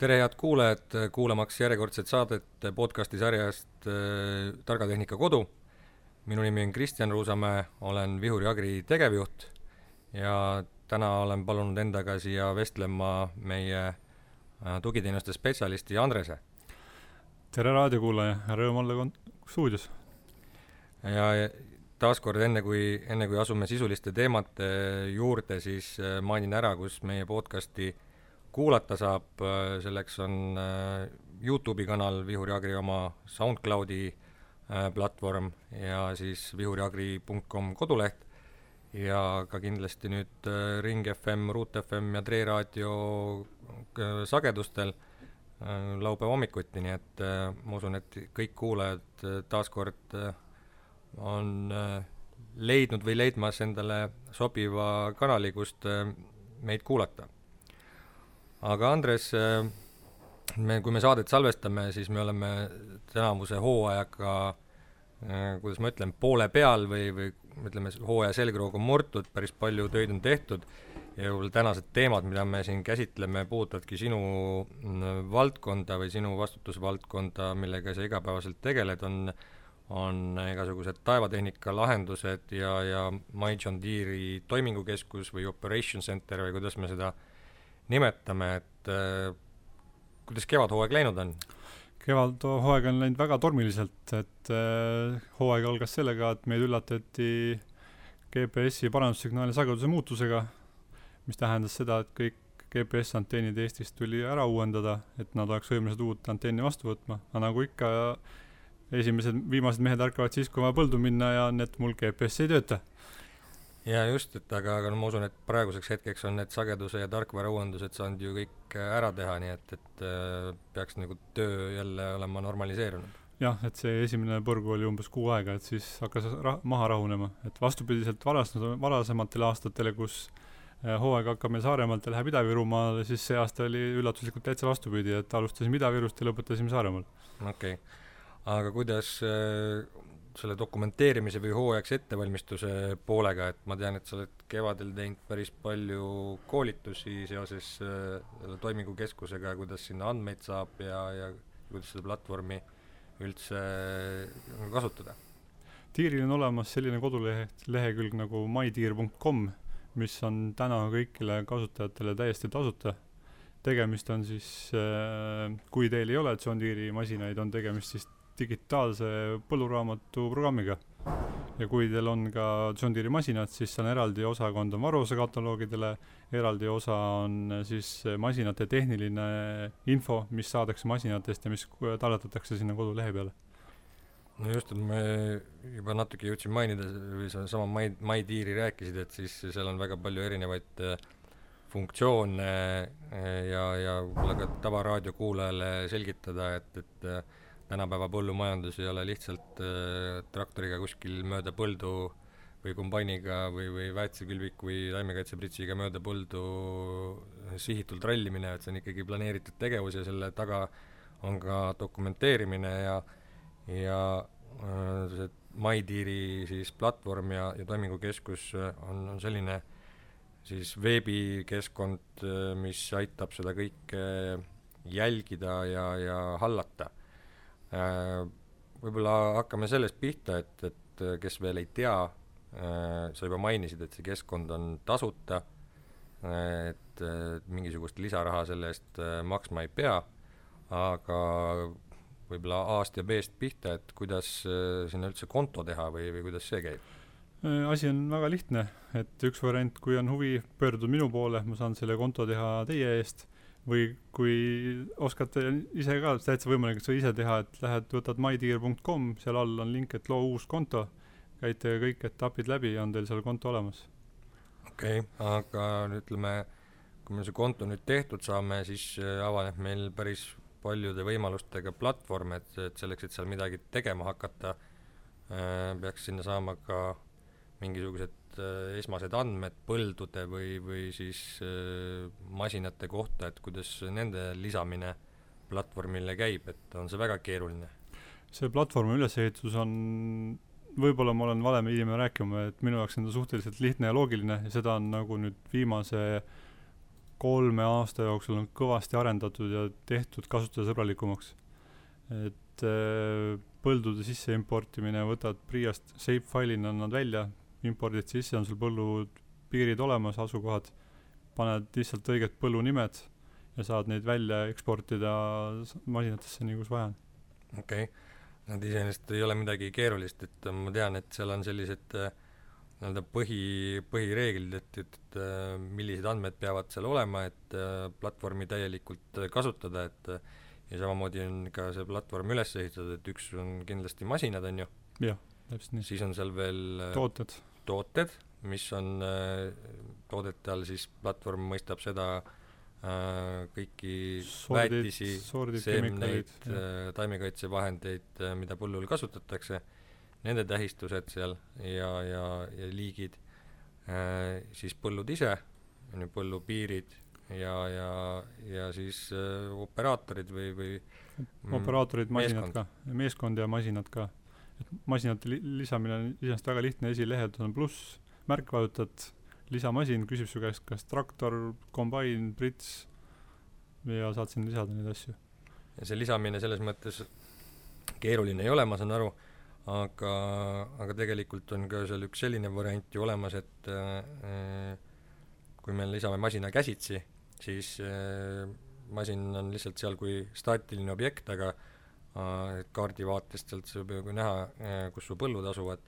Tere head kuulajad, kuulamaks järjekordset saadet podcasti sarjast Targa Tehnika Kodu. Minu nimi on Kristjan Ruusamäe, olen Vihuri Agri tegevjuht ja täna olen palunud endaga siia vestlema meie tugiteenuste spetsialisti Andrese. Tere raadiokuulaja, rõõm olla stuudios. Ja taaskord enne kui asume sisuliste teemate juurde, siis mainin ära, kus meie podcasti kuulata saab. Selleks on YouTube'i kanal Vihuri Agri oma SoundCloudi platvorm ja siis vihuriagri.com koduleht ja ka kindlasti nüüd Ring FM, Root FM ja Tre Raadio sagedustel laupäeva hommikuti, nii et ma usun, et kõik kuulajad taaskord on leidnud või leidmas endale sobiva kanali, kust meid kuulata. Aga Andres, kui me saadet salvestame, siis me oleme tänavuse hooajaga, kuidas ma ütlen, poole peal või ütleme, hooaja selgroog on murtud, päris palju töid on tehtud ja tänased teemad, mida me siin käsitleme, puudutavadki sinu valdkonda või sinu vastutusvaldkonda, millega sa igapäevaselt tegeled, on igasugused taevatehnika lahendused ja My John Deere'i toimingukeskus või Operation Center või kuidas me seda nimetame, et kuidas kevadhooaeg läinud on? Kevadhooaeg on läinud väga tormiliselt, et hooaeg algas sellega, et meid üllatati GPS-i parandussignaali sageduse muutusega, mis tähendas seda, et kõik GPS-anteenid Eestist tuli ära uuendada, et nad oleks võimelised uut anteeni vastu võtma. Aga nagu ikka, viimased mehed ärkavad siis, kui vaja põldu minna ja need mul GPS ei tööta. Ja just, aga ma usun, et praeguseks hetkeks on need sageduse ja tarkvara uuendused saanud ju kõik ära teha, nii et peaks nagu töö jälle olema normaliseerunud. Jah, et see esimene põrgu oli umbes 6 aega, et siis hakkas maha rahunema. Et vastupidiselt varasematel aastatele, kus hooaeg hakkab meil Saaremaalt ja läheb Ida-Virumaale, siis see aasta oli üllatuslikult täitsa vastupidi, et alustasime Ida-Virust ja lõpetasime Saaremaal. Okei. Aga kuidas selle dokumenteerimise või hooajaks ettevalmistuse poolega, et ma tean, et sa oled kevadel teinud päris palju koolitusi seoses toimingukeskusega, kuidas sinna andmeid saab ja kuidas seda platvormi üldse kasutada? Deere'il on olemas selline kodulehekülg nagu mydeere.com, mis on täna kõigile kasutajatele täiesti tasuta. Tegemist on siis, kui teil ei ole John Deere'i masinaid, on tegemist siis digitaalse põlluraamatu programmiga. Ja kui teil on ka John Deere'i masinad, siis on eraldi osakond on varuse kataloogidele, eraldi osa on siis masinate tehniline info, mis saadakse masinatest ja mis talletatakse sinna kodulehe peale. No just, et me juba natuke jõudsin mainida, või sama My Deere'i rääkisid, et siis seal on väga palju erinevaid funktsioone ja võib-olla ka tavaraadio kuulajale selgitada, et tänapäeva põllumajandus ei ole lihtsalt traktoriga kuskil mööda põldu või kombainiga või väetsekülviku või taimekaitsepritsiga mööda põldu sihitult rallimine, et see on ikkagi planeeritud tegevus ja selle taga on ka dokumenteerimine ja see My Deere'i siis platvorm ja toimingukeskus on selline siis veebikeskkond, mis aitab seda kõike jälgida ja hallata. Võib-olla hakkame sellest pihta, et kes veel ei tea, sa juba mainisid, et see keskkond on tasuta, et mingisugust lisaraha selle eest maksma ei pea, aga võib-olla A-st ja B-st pihta, et kuidas sinna üldse konto teha või kuidas see käib? Asi on väga lihtne, et üks variant, kui on huvi, pöördud minu poole, ma saan selle konto teha teie eest, või kui oskate ise ka, täitsa võimalik, et sa ise teha, et lähed, võtad mydeere.com, seal all on link, et loo uus konto, käite kõik etapid läbi ja on teil seal konto olemas. Okei, aga ütleme, kui me see konto nüüd tehtud saame, siis avaneb meil päris paljude võimalustega platvorm, et selleks, et seal midagi tegema hakata, peaks sinna saama ka mingisugused esmased andmed põldude või siis masinate kohta, et kuidas nende lisamine platvormile käib, et on see väga keeruline? See platvormi ülesehitus on, võib-olla ma olen valem inimene rääkima, et minu jaoks on ta suhteliselt lihtne ja loogiline ja seda on nagu nüüd viimase 3 aasta jooksul on kõvasti arendatud ja tehtud kasutajasõbralikumaks. Et põldude sisse importimine, võtad Priast shapefile'ina nad välja, impordid sisse, on sul põllu piirid olemas, asukohad, paned lihtsalt õiged põllunimed ja saad neid välja eksportida masinatesse nii kus vaja on. Okei. Nad iseenesest ei ole midagi keerulist, et ma tean, et seal on sellised nii-öelda põhireeglid, et millised andmed peavad seal olema, et platvormi täielikult kasutada, et ja samamoodi on ka see platvorm üles ehitatud, et üks on kindlasti masinad, on ju? Jah, täpselt nii. Siis on seal veel tooted, mis on toodete all, siis platvorm mõistab seda kõiki väetisi, seemneid, taimekaitsevahendeid, mida põllul kasutatakse, nende tähistused seal ja liigid, siis põllud ise, põllupiirid ja siis operaatorid või operaatorid, masinad ka, meeskond ja masinad ka. Et masinate lisamine on iseenesest väga lihtne, esilehed on pluss, märk vajutad, lisamasin küsib su käest kas traktor, kombain, prits ja saad sinna lisada neid asju. Ja see lisamine selles mõttes keeruline ei ole, ma saan aru, aga tegelikult on ka seal üks selline variant ju olemas, et kui me lisame masina käsitsi, siis masin on lihtsalt seal kui staatiline objekt, aga kaardi vaatest sealt saab ju näha, kus su põllud asuvad,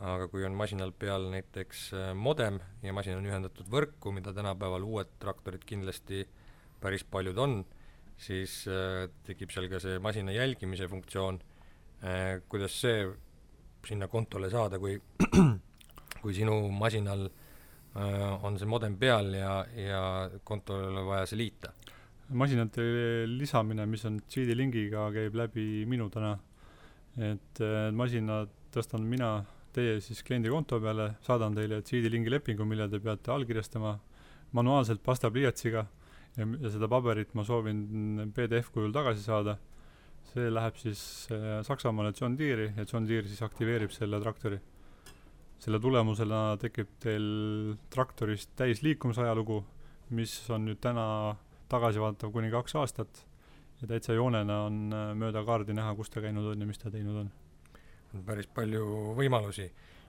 aga kui on masinal peal näiteks modem ja masin on ühendatud võrku, mida tänapäeval uued traktorid kindlasti päris paljud on, siis tekib seal ka see masina jälgimise funktsioon. Kuidas see sinna kontole saada, kui sinu masinal on see modem peal ja kontole vaja see liita? Masinate lisamine, mis on CD-lingiga, käib läbi minu täna. Et masinad tõstan mina teie siis kliendi konto peale, saadan teile CD-lingi lepingu, mille te peate allkirjastama manuaalselt pastapliiatsiga ja seda paberit ma soovin PDF kujul tagasi saada. See läheb siis Saksamaale John Deere'i ja John Deere siis aktiveerib selle traktori. Selle tulemusena tekib teil traktorist täis liikumisajalugu, mis on nüüd täna tagasi vaatav kuni 2 aastat ja täitsa joonena on mööda kaardi näha, kus ta käinud on ja mis ta teinud on. On päris palju võimalusi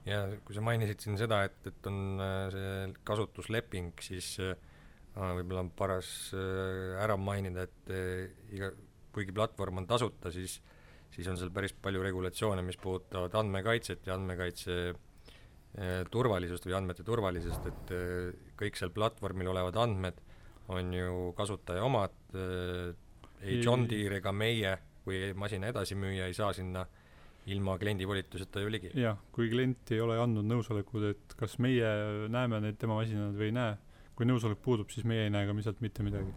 ja kui sa mainisid siin seda, et on see kasutusleping, siis võib-olla on paras ära mainida, et kuigi platvorm on tasuta, siis on seal päris palju regulatsioone, mis puudutavad andmekaitset ja andmekaitse turvalisust või andmete turvalisust, et kõik seal platvormil olevad andmed on ju kasutaja omad, ei John Deere ega meie, kui masina edasimüüja ei saa sinna ilma kliendi volituseta ju ligi. Jah, kui klient ei ole andnud nõusolekud, et kas meie näeme neid tema masinad või ei näe, kui nõusolek puudub, siis meie ei näe ka lihtsalt mitte midagi.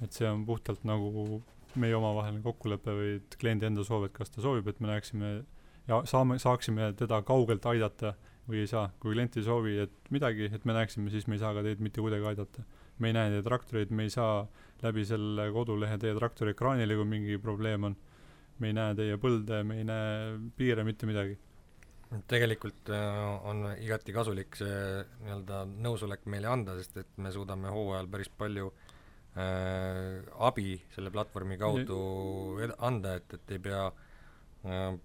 Et see on puhtalt nagu meie omavaheline kokkulepe või et kliendi enda soov, et kas ta soovib, et me näeksime ja saaksime teda kaugelt aidata või ei saa. Kui klient ei soovi, et midagi, et me näeksime, siis me ei saa ka teid mitte kuidagi aidata. Me ei näe teie traktoreid, me ei saa läbi selle kodulehe teie traktori ekraanile, kui mingi probleem on. Me ei näe teie põlde, me ei näe piire, mitte midagi. Tegelikult on igati kasulik see nii-öelda nõusolek meile anda, sest et me suudame hooajal päris palju abi selle platvormi kaudu anda, et ei pea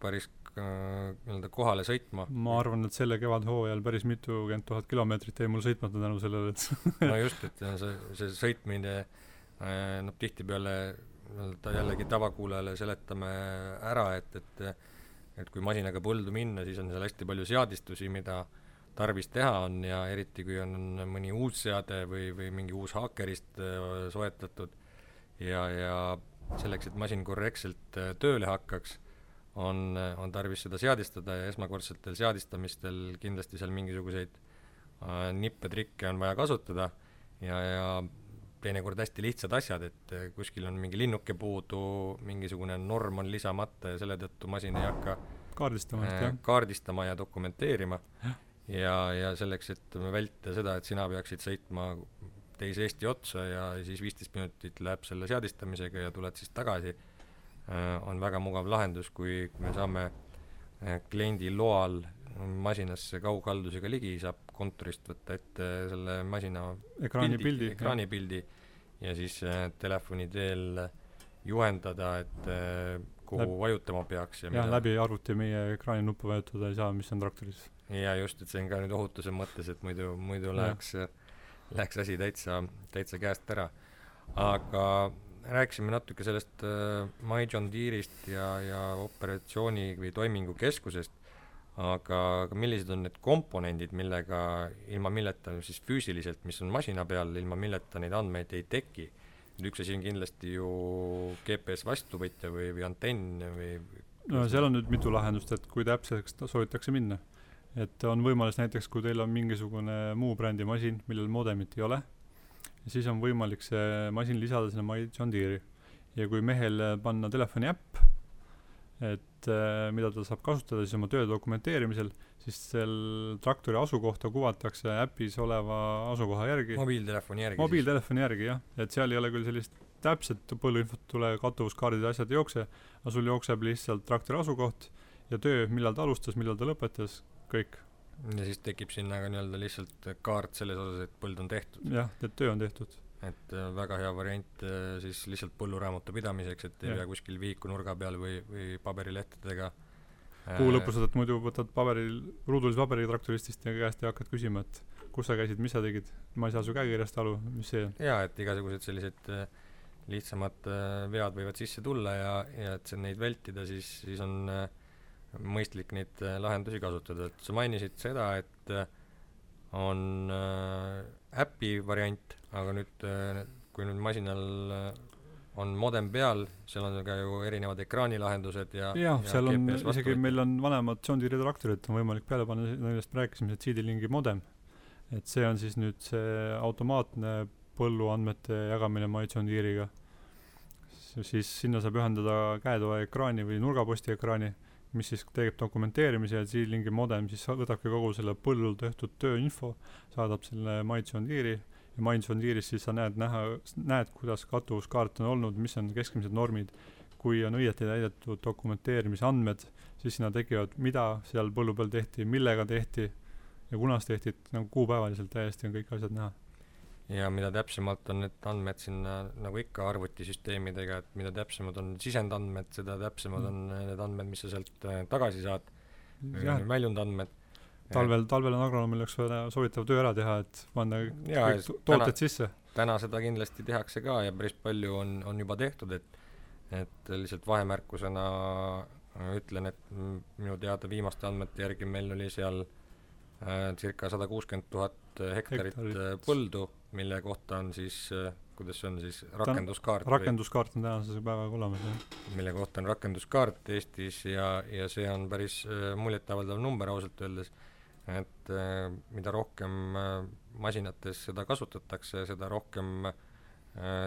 päris nii-öelda kohale sõitma. Ma arvan, et selle kevadhooajal päris mitukümmend 000 kilomeetrit jäi mul sõitmata tänu sellele, et no just, et see sõitmine tihtipeale jällegi tavakuulajale seletame ära, et kui masinaga põldu minna, siis on seal hästi palju seadistusi, mida tarvis teha on ja eriti kui on mõni uus seade või mingi uus haakerist soetatud ja selleks, et masin korrektselt tööle hakkaks, on tarvis seda seadistada ja esmakordsetel seadistamistel kindlasti seal mingisuguseid nippetrikke on vaja kasutada ja teinekord hästi lihtsad asjad, et kuskil on mingi linnuke puudu, mingisugune norm on lisamata ja selle tõttu masin ei hakka kaardistama ja dokumenteerima ja selleks, et vältida seda, et sina peaksid sõitma teise Eesti otsa ja siis 15 minutit läheb selle seadistamisega ja tuled siis tagasi, on väga mugav lahendus, kui me saame kliendi loal masinasse kaughaldusega ligi, saab kontorist võtta ette selle masina ekraanipildi ja siis telefoni teel juhendada, et kuhu vajutama peaks ja jah, läbi arvuti meie ekraani nuppu vajutada ei saa, mis on traktoris. ja just, et see on ka nüüd ohutuse mõttes, et muidu läheks asi täitsa käest ära. Aga rääkisime natuke sellest My John Deere'ist ja operatsiooni või toimingukeskusest, aga millised on need komponendid, ilma milleta siis füüsiliselt, mis on masina peal, ilma milleta neid andmeid ei teki? Üks asi on kindlasti ju GPS vastuvõtja või antenn või... No seal on nüüd mitu lahendust, et kui täpseks soovitakse minna. Et on võimalus näiteks, kui teil on mingisugune muu brändi masin, millel modemit ei ole, siis on võimalik see masin lisada sinna My John Deere'i. Ja kui mehel panna telefoni äpp, et mida ta saab kasutada siis oma töö dokumenteerimisel, siis seal traktori asukohta kuvatakse äpis oleva asukoha järgi. Mobiiltelefoni järgi, jah. Et seal ei ole küll sellist täpset põlluinfot tule kattuvuskaardid ja asjad ei jookse, aga sul jookseb lihtsalt traktori asukoht ja töö, millal ta alustas, millal ta lõpetas, kõik. Ja siis tekib sinna ka nii-öelda lihtsalt kaart selles osas, et põld on tehtud. jah, et töö on tehtud. Et väga hea variant siis lihtsalt põlluraamatu pidamiseks, et ei pea kuskil vihiku nurga peal või paberilehtedega. Kuu lõpus muidu võtad ruudulise paberi traktoristist ja käest ja hakkad küsima, et kus sa käisid, mis sa tegid, ma ei saa su käekirjast aru, mis see on. Jaa, et igasugused sellised lihtsamad vead võivad sisse tulla ja et neid vältida, siis on mõistlik neid lahendusi kasutada. Et sa mainisid seda, et on äpi variant, aga nüüd, kui nüüd masinal on modem peal, seal on ka ju erinevad ekraanilahendused ja seal on isegi meil on vanemad John Deere traktorid, on võimalik peale panna, millest me rääkisime, see CD-Linki modem. Et see on siis nüüd see automaatne põlluandmete jagamine My John Deere'iga. Siis sinna saab ühendada käetoa ekraani või nurgaposti ekraani, mis siis teeb dokumenteerimise ja CD-Linki modem siis võtabki kogu selle põllul tehtud tööinfo, saadab selle My John Deere'i ja My John Deere'is siis sa näed, kuidas kattuvuskaart on olnud, mis on keskmised normid. Kui on õieti täidetud dokumenteerimise andmed, siis sinna tekivad, mida seal põllu peal tehti, millega tehti ja kunas tehti, nagu kuupäevaliselt täiesti on kõik asjad näha. Ja mida täpsemalt on need andmed sinna, nagu ikka arvutisüsteemidega, et mida täpsemad on sisendandmed, seda täpsemad on need andmed, mis sa sealt tagasi saad, väljundandmed. Talvel on agronomil üks soovitav töö ära teha, et panna kõik tooted sisse. Täna seda kindlasti tehakse ka ja päris palju on juba tehtud, et lihtsalt vahemärkusena ütlen, et minu teada viimaste andmete järgi meil oli seal circa 160 000 hektarit põldu, mille kohta on siis, kuidas see on siis, rakenduskaart. Rakenduskaart on tänase päevaga olemas. Mille kohta on rakenduskaart Eestis ja see on päris muljetavaldav number ausalt öeldes, et mida rohkem masinates seda kasutatakse, seda rohkem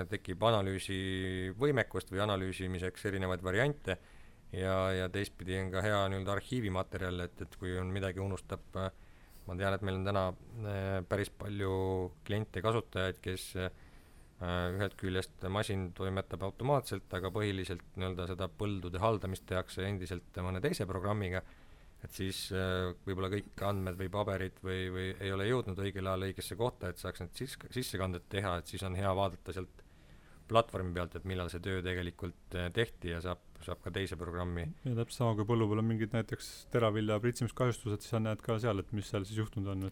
tekib analüüsi võimekust või analüüsimiseks erinevaid variante ja teistpidi on ka hea nii-öelda arhiivimaterjal, et kui on midagi unustab, ma tean, et meil on täna päris palju kliente, kasutajaid, kes ühelt küljest masin toimetab automaatselt, aga põhiliselt nii-öelda seda põldude haldamist tehakse endiselt mõne teise programmiga, et siis võib-olla kõik andmed või paberid või ei ole jõudnud õigel ajal õigesse kohta, et saaks need sissekanded teha, et siis on hea vaadata sealt platvormi pealt, et millal see töö tegelikult tehti ja saab ka teise programmi. Ja täpselt sama, kui põllu peal on mingid näiteks teravilja pritsimiskahjustused, siis sa näed ka seal, et mis seal siis juhtunud on.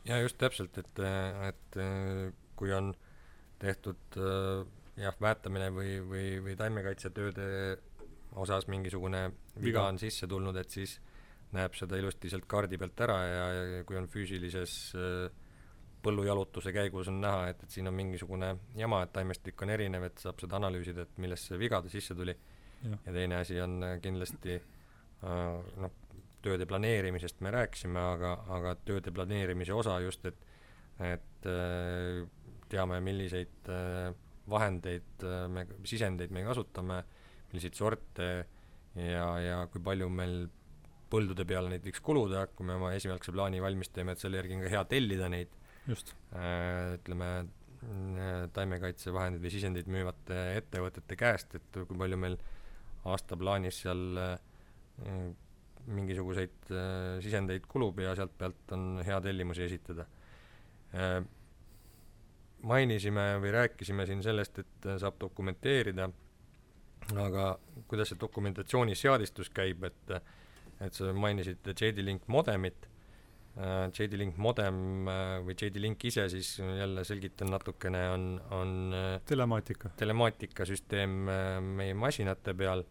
Ja just täpselt, et kui on tehtud väetamine või taimekaitsetööde osas mingisugune viga on sisse tulnud, et siis näeb seda ilusti sealt kaardi pealt ära ja kui on füüsilises põllujalutuse käigus on näha, et siin on mingisugune jama, et taimestik on erinev, et saab seda analüüsida, et millest see vigade sisse tuli. Ja teine asi on kindlasti tööde planeerimisest me rääkisime, aga tööde planeerimise osa just, et teame, milliseid vahendeid, sisendeid me kasutame, milliseid sorte ja kui palju meil põldude peale neid võiks kuluda, kui me oma esialgse plaani valmis teeme, et selle järgi on ka hea tellida neid. Just. Ütleme, taimekaitsevahendid või sisendid müüvate ettevõtete käest, et kui palju meil aastaplaanis seal mingisuguseid sisendeid kulub ja sealt pealt on hea tellimusi esitada. mainisime või rääkisime siin sellest, et saab dokumenteerida, aga kuidas see dokumentatsiooni seadistus käib, et sa mainisid JD-Link modemit. JD-Link modem või JD-Link ise siis jälle selgitan natukene, on telemaatikasüsteem meie masinate peal,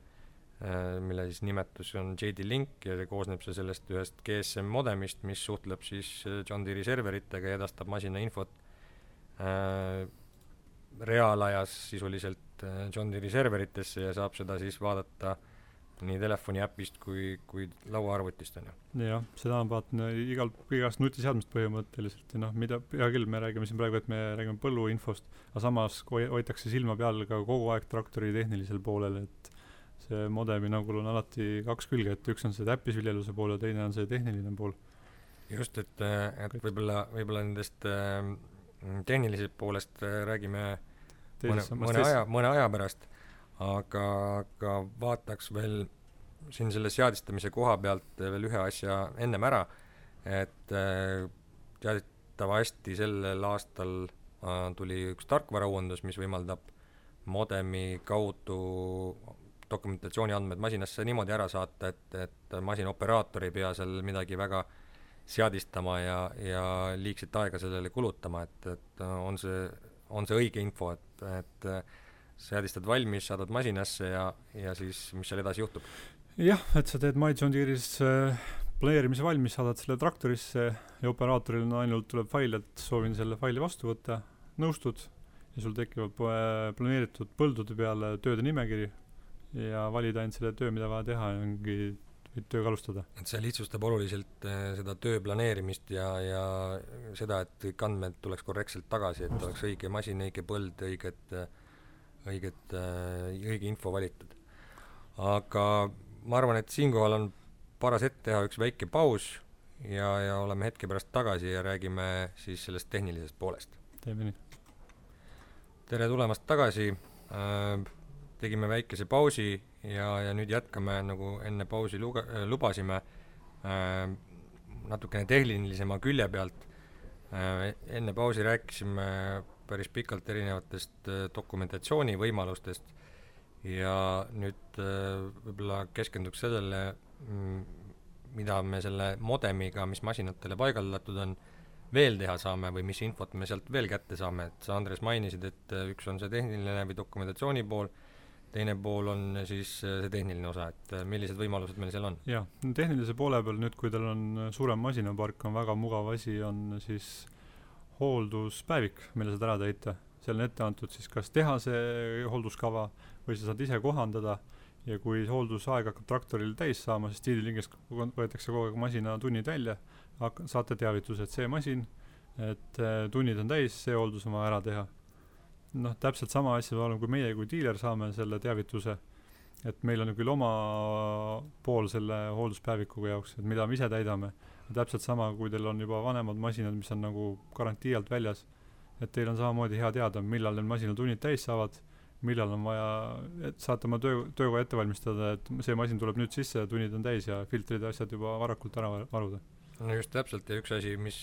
mille siis nimetus on JD-Link ja koosneb see sellest ühest GSM modemist, mis suhtleb siis John Deere serveritega ja edastab masina infot reaalajas sisuliselt John Deere serveritesse ja saab seda siis vaadata nii telefoni äpist kui lauaarvutist, on ju. Jah, seda on vaatan igast nutiseadmist põhimõtteliselt ja mida, hea küll, me räägime siin praegu, et me räägime põlluinfost, aga samas hoitakse silma peal ka kogu aeg traktori tehnilisel poolel, et see modemi nagul on alati kaks külge, et üks on see täppisviljeluse pool ja teine on see tehniline pool. Just, et võib-olla nendest tehnilisest poolest räägime mõne aja pärast, aga vaataks veel siin selle seadistamise koha pealt veel ühe asja ennem ära, et teatavasti sellel aastal tuli üks tarkvarauuendus, mis võimaldab modemi kaudu dokumentatsiooni andmed masinasse niimoodi ära saata, et masinaoperaator ei pea seal midagi väga seadistama ja liigset aega sellele kulutama, et on see õige info, et seadistad valmis, saadad masinasse ja siis mis seal edasi juhtub? Jah, et sa teed My John Deere'is planeerimise valmis, saadad selle traktorisse ja operaatoril ainult tuleb fail, et soovin selle faili vastu võtta, nõustud ja sul tekivad planeeritud põldude peale tööde nimekiri ja valida ainult selle töö, mida vaja teha ja ongi tööga alustada. Et see lihtsustab oluliselt seda töö planeerimist ja seda, et kõik andmed tuleks korrektselt tagasi, et oleks õige masin, õige põld, õige info valitud. Aga ma arvan, et siinkohal on paras ette teha üks väike paus ja oleme hetke pärast tagasi ja räägime siis sellest tehnilisest poolest. Teeme nii. Tere tulemast tagasi. Tegime väikese pausi ja nüüd jätkame, nagu enne pausi lubasime, natukene tehnilisema külje pealt. Enne pausi rääkisime päris pikalt erinevatest dokumentatsiooni võimalustest ja nüüd võib-olla keskenduks sellele, mida me selle modemiga, mis masinatele paigaldatud on, veel teha saame või mis infot me sealt veel kätte saame. Et sa, Andres, mainisid, et üks on see tehniline või dokumentatsiooni pool, teine pool on siis see tehniline osa, et millised võimalused meil seal on? Jah, tehnilise poole peal nüüd, kui teil on suurem masinapark, on väga mugav asi, on siis hoolduspäevik, mille saad ära täita. Seal on ette antud siis kas teha see hoolduskava või sa saad ise kohandada ja kui hooldusaeg hakkab traktoril täis saama, siis JD-Linkist võetakse kogu aeg masina tunnid välja, saate teavituse, et see masin, et tunnid on täis, see hooldus on vaja ära teha. Täpselt sama asja oleme, kui meie kui diiler saame selle teavituse, et meil on küll oma pool selle hoolduspäevikuga jaoks, et mida me ise täidame. Täpselt sama, kui teil on juba vanemad masinad, mis on nagu garantii alt väljas, et teil on samamoodi hea teada, millal need masinatunnid täis saavad, millal on vaja, et saate oma tööga ette valmistada, et see masin tuleb nüüd sisse, tunnid on täis ja filtrid ja asjad juba varakult ära varuda. No just täpselt, ja üks asi, mis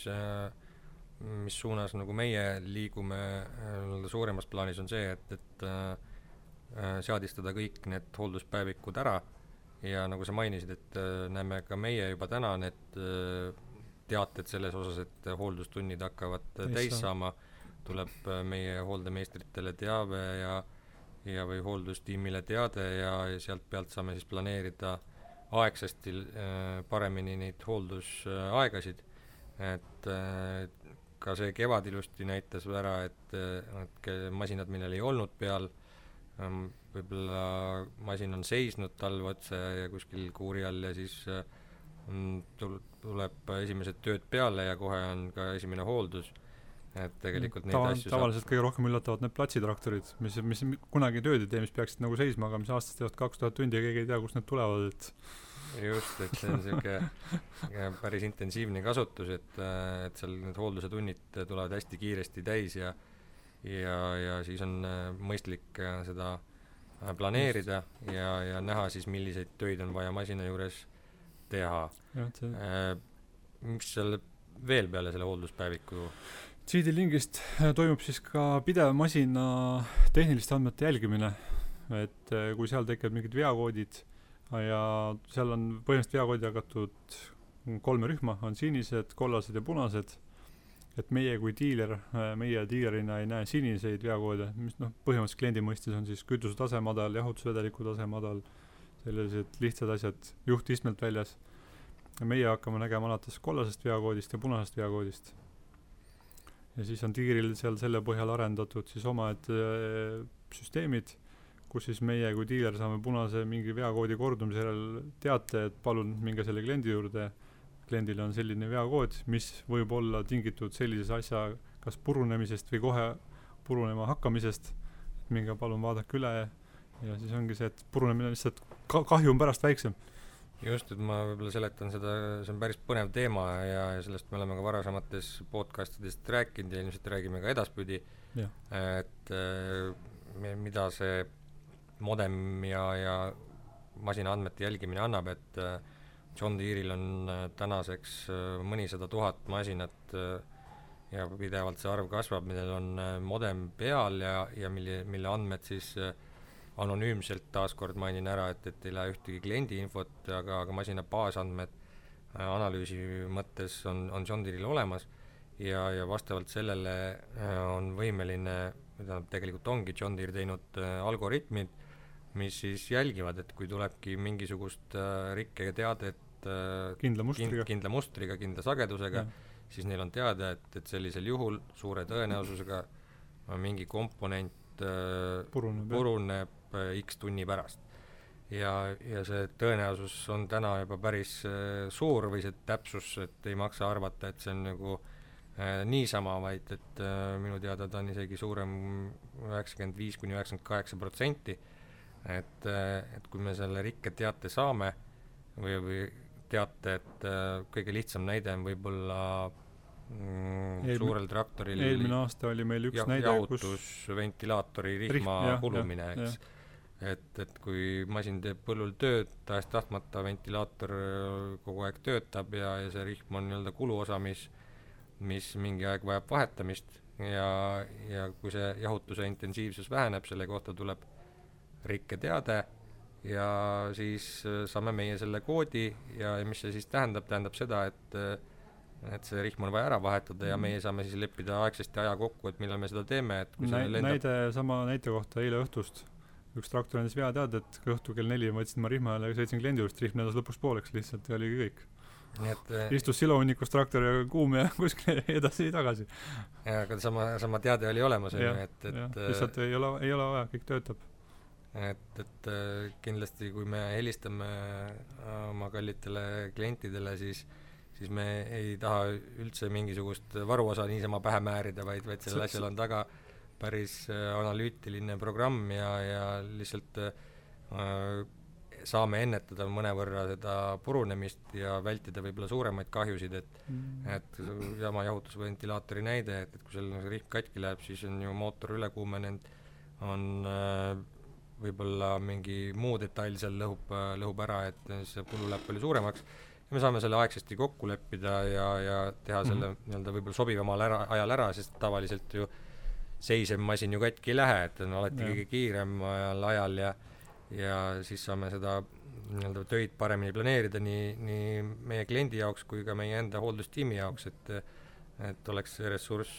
suunas nagu meie liigume suuremas plaanis on see, et seadistada kõik need hoolduspäevikud ära ja nagu sa mainisid, et näeme ka meie juba täna need teated selles osas, et hooldustunnid hakkavad täis saama, tuleb meie hooldemeistritele teave ja või hooldustiimile teade ja sealt pealt saame siis planeerida aegsasti paremini neid hooldusaegasid, et ka see kevad ilusti näitas ära, et masinad, millel ei olnud peal, võib-olla masin on seisnud talve otsa ja kuskil kuuri all ja siis tuleb esimesed tööd peale ja kohe on ka esimene hooldus, et tegelikult neid asju tavaliselt kõige rohkem üllatavad need platsitraktorid, mis kunagi tööd ei tee, mis peaksid nagu seisma, aga mis aastast teevad 2000 tundi ja keegi ei tea, kust need tulevad, et just, et see on selline päris intensiivne kasutus, et seal need hoolduse tunnid tulevad hästi kiiresti täis ja siis on mõistlik seda planeerida ja näha siis, milliseid töid on vaja masina juures teha. Mis seal veel peale selle hoolduspäeviku? CD-lingist toimub siis ka pidev masina tehniliste andmete jälgimine, et kui seal tekivad mingid veakoodid ja seal on põhimõtteliselt veakoodi jagatud 3 rühma, on sinised, kollased ja punased, et meie kui diiler, meie diilerina ei näe siniseid veakoode, mis põhimõtteliselt kliendi mõistes on siis kütuse tase madal, jahutusvedeliku tase madal, sellised lihtsad asjad juhtistmelt väljas. Ja meie hakkame nägema alates kollasest veakoodist ja punasest veakoodist. Ja siis on diiril seal selle põhjal arendatud siis omad süsteemid, kus siis meie kui diiler saame punase mingi veakoodi kordumise järel teate, et palun minge selle kliendi juurde. Kliendil on selline veakood, mis võib olla tingitud sellises asja kas purunemisest või kohe purunema hakkamisest. Minge palun vaadake üle ja siis ongi see, et purunemine lihtsalt kahju on pärast väiksem. Just, et ma võib-olla seletan seda, see on päris põnev teema ja sellest me oleme ka varasemates podcastidest rääkinud ja ilmselt räägime ka edaspidi, et mida see modem ja masina andmete jälgimine annab, et John Deere'il on tänaseks mõnisada tuhat masinat ja pidevalt see arv kasvab, millel on modem peal ja mille andmed siis anonüümselt taaskord mainin ära, et ei lähe ühtegi kliendi infot, aga masina baasandmed analüüsi mõttes on John Deere'il olemas ja vastavalt sellele on võimeline, mida tegelikult ongi John Deere teinud algoritmid, mis siis jälgivad, et kui tulebki mingisugust rikke teadet kindla mustriga, kindla sagedusega, siis neil on teada, et sellisel juhul suure tõenäosusega mingi komponent puruneb X tunni pärast. Ja see tõenäosus on täna juba päris suur või see täpsus, et ei maksa arvata, et see on nagu niisama, vaid et minu teada ta on isegi suurem 95-98%, et kui me selle rikke teate saame või teate, et kõige lihtsam näide on võib-olla suurel traktoril eelmine aasta oli meil üks näide, jahutusventilaatori rihma kulumine, eks. Et kui masin teeb põllul tööd, tahes tahtmata ventilaator kogu aeg töötab ja see rihm on nii-öelda kuluosa, mis mingi aeg vajab vahetamist ja kui see jahutuse intensiivsus väheneb, selle kohta tuleb rikke teade ja siis saame meie selle koodi ja mis see siis tähendab seda, et see rihm on vaja ära vahetada ja meie saame siis leppida aegsasti aja kokku, et millal me seda teeme, et kui sama näite kohta eile õhtust üks traktor andis vea teada, et õhtu kell 4 võtsin ma rihma ja sõitsin kliendi juurest, rihm nädas lõpuks pooleks lihtsalt ja oligi kõik. Istus silohunnikus traktor ja kuum ja kuskil edasi-tagasi. Ja aga sama teade oli olemas, lihtsalt ei ole vaja, kõik töötab. Et kindlasti kui me helistame oma kallitele klientidele, siis me ei taha üldse mingisugust varuosa niisama pähe määrida, vaid sellel asjal on taga päris analüütiline programm ja lihtsalt saame ennetada mõnevõrra seda purunemist ja vältida võib-olla suuremaid kahjusid, et sama jahutusventilaatori näide, et kui seal rihm katki läheb, siis on ju mootor üle kuumenenud, on võib-olla mingi muu detail seal lõhub ära, et see kulu läheb palju suuremaks ja me saame selle aegsasti kokku leppida ja teha selle nii-öelda võib-olla sobivamal ajal ära, sest tavaliselt ju seisev masin ju katki ei lähe, et on alati kõige kiirem ajal ja siis saame seda nii-öelda töid paremini planeerida nii meie kliendi jaoks kui ka meie enda hooldustiimi jaoks, et oleks see ressurss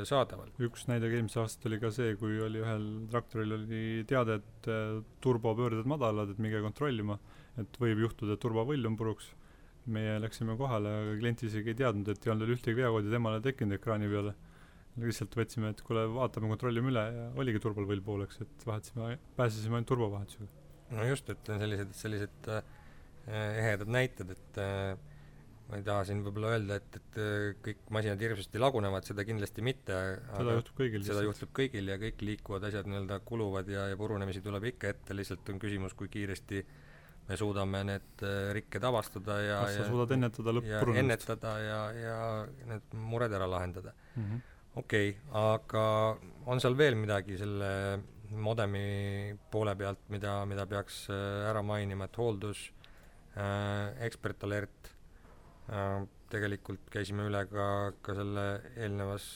saadaval. Üks näide eelmisel aastal oli ka see, kui oli ühel traktoril oli teada, et turbopöörded madalad, et minge kontrollima, et võib juhtuda, et turbovõll on puruks. Meie läksime kohale, aga klient isegi ei teadnud, et ei olnud ühtegi veakoodi temale tekkinud ekraani peale. Lihtsalt võtsime, et kuule, vaatame, kontrollime üle ja oligi turbovõll pooleks, et pääsesime ainult turbovahetusega. No just, et sellised ehedad näited, et ma ei taha siin võib-olla öelda, et kõik masinad hirmsasti lagunevad, seda kindlasti mitte. Seda juhtub kõigil ja kõik liikuvad asjad nii-öelda kuluvad ja purunemisi tuleb ikka ette, lihtsalt on küsimus, kui kiiresti me suudame need rikked avastada ja suudad ennetada lõpp-purunemist. Ja need mured ära lahendada. Okei, aga on seal veel midagi selle modemi poole pealt, mida peaks ära mainima, et hooldus, ekspertalert, tegelikult käisime üle ka selle eelnevas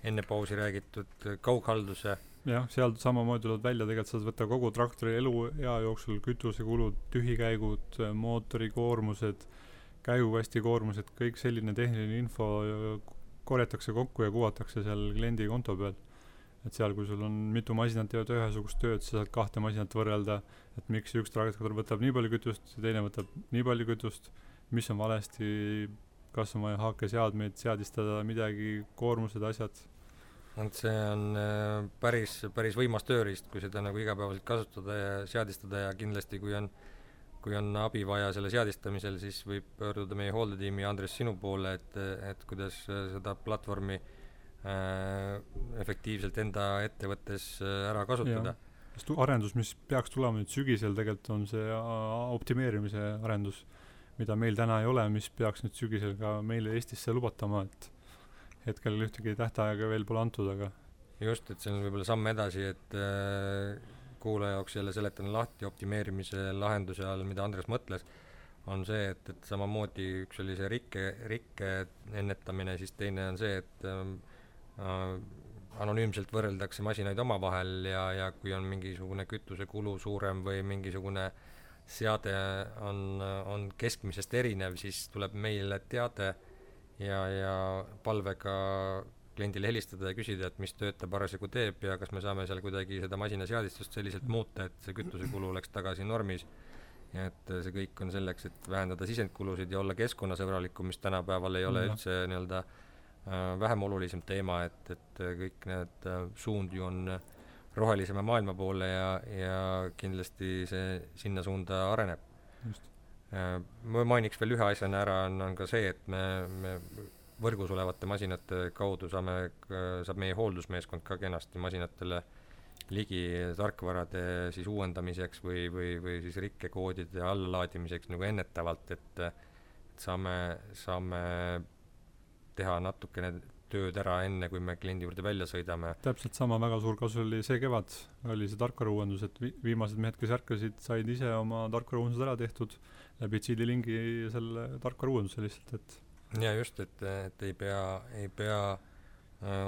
enne pausi räägitud kaughalduse. jah, seal samamoodi tuleb välja, tegelikult saad võtta kogu traktori eluea jooksul kütusekulud, tühikäigud, mootori koormused, käigukasti koormused, kõik selline tehniline info korjatakse kokku ja kuvatakse seal kliendi konto peal. Et seal, kui sul on mitu masinat teevad ühesugust tööd, sa saad 2 masinat võrrelda, et miks üks traktor võtab nii palju kütust ja teine võtab nii palju kütust, mis on valesti, kas on vaja haakeseadmeid seadistada, midagi, koormused, asjad. Et see on päris võimas tööriist, kui seda nagu igapäevaselt kasutada ja seadistada, ja kindlasti kui on abi vaja selle seadistamisel, siis võib pöörduda meie hooldetiimi Andres sinu poole, et kuidas seda platvormi efektiivselt enda ettevõttes ära kasutada. Sest arendus, mis peaks tulema nüüd sügisel, tegelikult on see optimeerimise arendus, mida meil täna ei ole, mis peaks nüüd sügisel ka meile Eestisse lubatama, et hetkel ühtegi tähtaega veel pole antud, aga just, et see on võib-olla samm edasi, et kuulaja jaoks jälle seletan lahti optimeerimise lahenduse all, mida Andres mõtles, on see, et samamoodi üks oli see rikke ennetamine, siis teine on see, et anonüümselt võrreldakse masinaid omavahel ja kui on mingisugune kütusekulu suurem või mingisugune seade on keskmisest erinev, siis tuleb meile teade ja palvega kliendile helistada ja küsida, et mis tööd ta parasjagu teeb ja kas me saame seal kuidagi seda masinaseadistust selliselt muuta, et see kütusekulu oleks tagasi normis. Ja et see kõik on selleks, et vähendada sisendkulusid ja olla keskkonnasõbralikum, mis tänapäeval ei ole üldse nii-öelda vähem olulisem teema, et kõik need suund ju on rohelisema maailma poole ja kindlasti see sinna suunda areneb. Ma mainiks veel ühe asjana ära, on ka see, et me võrgus olevate masinate kaudu saab meie hooldusmeeskond ka kenasti masinatele ligi tarkvarade siis uuendamiseks või siis rikkekoodide allalaadimiseks nagu ennetavalt, et saame teha natukene tööd ära enne, kui me kliendi juurde välja sõidame. Täpselt sama väga suur kasu oli see kevad, oli see tarkvarauuendus, et viimased mehed, kes ärkasid, said ise oma tarkvarauuendused ära tehtud läbi CD-lingi selle tarkvarauuenduse lihtsalt, et ja just, et ei pea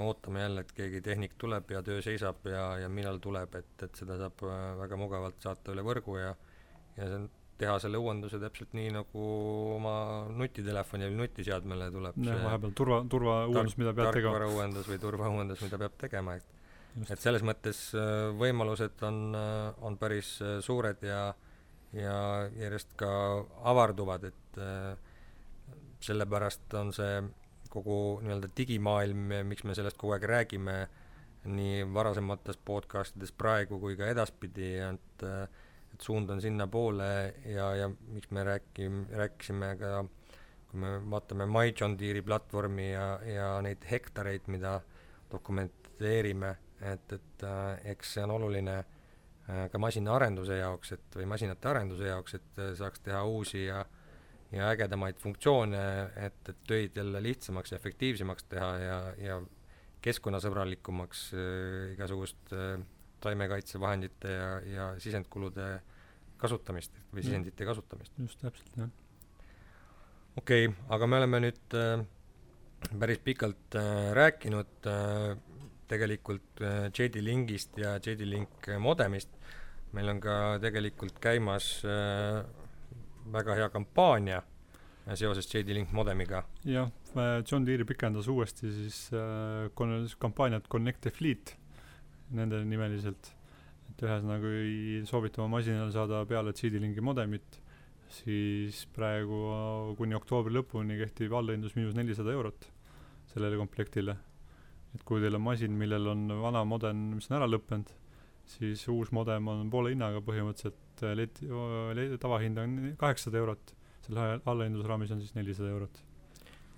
ootame jälle, et keegi tehnik tuleb ja töö seisab ja millal tuleb, et seda saab väga mugavalt saata üle võrgu ja teha selle uuenduse täpselt nii, nagu oma nutitelefoni või nutiseadmele tuleb vahepeal turvauuendus, mida peab tegema. Tarkvarauuendus või turvauuendus, mida peab tegema, et selles mõttes võimalused on päris suured ja järjest ka avarduvad, et sellepärast on see kogu nii-öelda digimaailm, miks me sellest kogu aeg räägime nii varasemates podcastides praegu kui ka edaspidi, et suund on sinna poole ja miks me rääkisime ka, kui me vaatame My John Deere'i platvormi ja neid hektareid, mida dokumenteerime, et eks see on oluline ka masinaarenduse jaoks, või masinate arenduse jaoks, et saaks teha uusi ja ägedamaid funktsioone, et töid jälle lihtsamaks ja efektiivsemaks teha ja keskkonnasõbralikumaks igasugust taimekaitsevahendite ja sisendkulude kasutamist või sisendite kasutamist. Just täpselt, jah. Okei, aga me oleme nüüd päris pikalt rääkinud tegelikult JD-Linkist ja JD-Link modemist. Meil on ka tegelikult käimas väga hea kampaania seoses JD-Link modemiga. Jah, John Deere pikendas uuesti siis kampaaniat Connect the Fleet nende nimeliselt, et ühesõnaga kui soovite oma masinale saada peale JD-Linki modemit, siis praegu kuni oktoobri lõpuni kehtib allahindlus -400 sellele komplektile. Et kui teil on masin, millel on vana modem, mis on ära lõppenud, siis uus modem on poole hinnaga põhimõtteliselt, tavahind on 800 selle allahindlusraamis on siis 400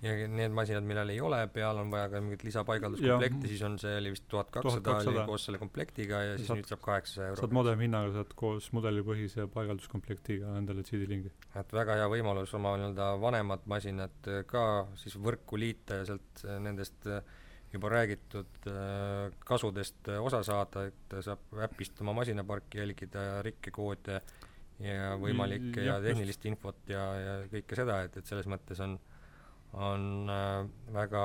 ja need masinad, millel ei ole peal, on vaja ka mingit lisapaigalduskomplekti, siis on see oli vist 1200 koos selle komplektiga ja siis nüüd saab 800 saad modem hinnaga, saad koos mudelipõhise paigalduskomplektiga endale CD-lingi. Et väga hea võimalus oma nii-öelda vanemad masinad ka siis võrku liita ja sealt nendest juba räägitud kasudest osa saada, et saab äpist oma masinaparki jälgida, rikkekoode ja võimalikke ja tehnilist infot ja kõike seda, et selles mõttes on väga,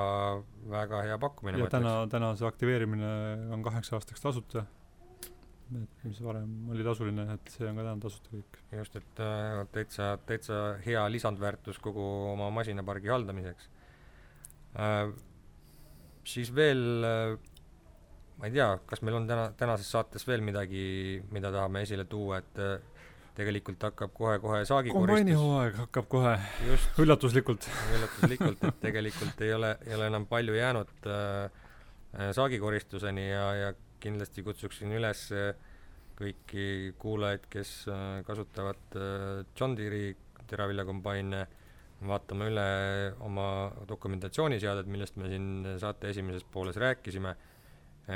väga hea pakkumine. Ja täna see aktiveerimine on 8 aastaks tasuta, et mis varem oli tasuline, et see on ka täna tasuta kõik. Just, et täitsa hea lisandväärtus kogu oma masinapargi haldamiseks. Siis veel, ma ei tea, kas meil on tänases saates veel midagi, mida tahame esile tuua, et tegelikult hakkab kohe saagikoristus. Kombainihooaeg hakkab kohe. Just. Üllatuslikult, et tegelikult ei ole enam palju jäänud saagikoristuseni ja kindlasti kutsuksin üles kõiki kuulajaid, kes kasutavad John Deere'i teraviljakombaine, vaatame üle oma dokumentatsiooniseaded, millest me siin saate esimeses pooles rääkisime,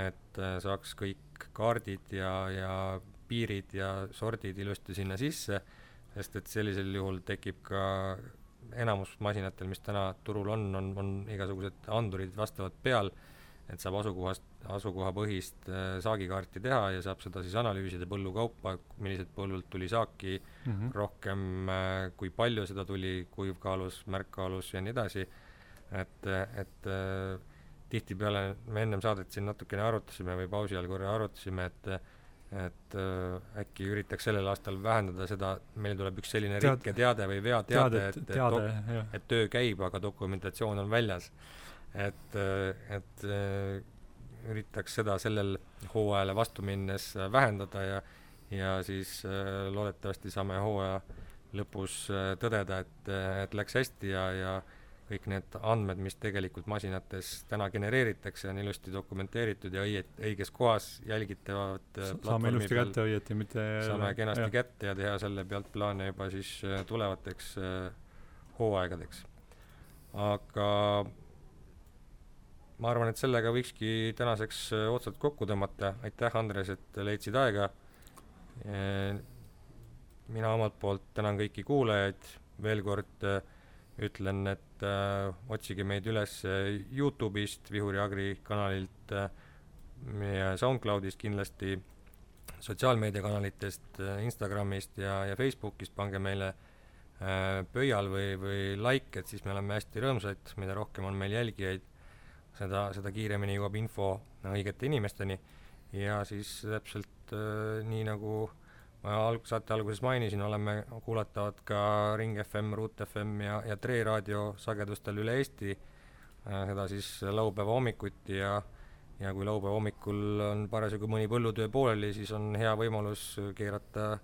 et saaks kõik kaardid ja piirid ja sordid ilusti sinna sisse, sest et sellisel juhul tekib ka enamus masinatel, mis täna turul on igasugused andurid vastavad peal, et saab asukohapõhist saagikaarti teha ja saab seda siis analüüsida põllukaupa, millised põllult tuli saaki, rohkem kui palju seda tuli, kuivkaalus, märkkaalus ja nii edasi, et tihtipeale me ennem saadet siin natukene arutasime või pausi all korra arutasime, et äkki üritaks sellel aastal vähendada seda, meil tuleb üks selline rikketeade või veateade, et töö käib, aga dokumentatsioon on väljas. Et üritaks seda sellel hooajale vastu minnes vähendada ja siis loodetavasti saame hooaja lõpus tõdeda, et läks hästi ja kõik need andmed, mis tegelikult masinates täna genereeritakse, on ilusti dokumenteeritud ja õiges kohas jälgitavad saame ilusti kätte õieti, mitte saame kenasti kätte ja teha selle pealt plaane juba siis tulevateks hooaegadeks. Aga ma arvan, et sellega võikski tänaseks otsad kokku tõmmata. Aitäh, Andres, et leidsid aega. Mina omalt poolt tänan kõiki kuulajaid. Veel kord ütlen, et otsige meid üles YouTube'ist, Vihuri Agri kanalilt ja SoundCloud'ist kindlasti, sotsiaalmeediakanalitest, Instagramist ja Facebookist. Pange meile pöial või like, et siis me oleme hästi rõõmsad, mida rohkem on meil jälgijaid, seda kiiremini jõuab info õigete inimesteni ja siis täpselt nii nagu ma saate alguses mainisin, oleme kuulatavad ka Ring FM, Root FM ja Tre raadio sagedustel üle Eesti, seda siis laupäeva hommikuti ja kui laupäeva hommikul on parasjagu mõni põllutöö pooleli, siis on hea võimalus keerata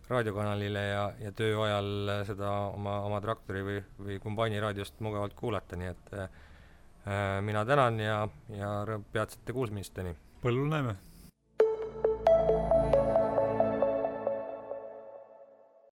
raadiokanalile ja töö ajal seda oma traktori või kombaini raadiost mugavalt kuulata, nii et mina tänan ja peatsete kuulmisteni. Põllul näeme!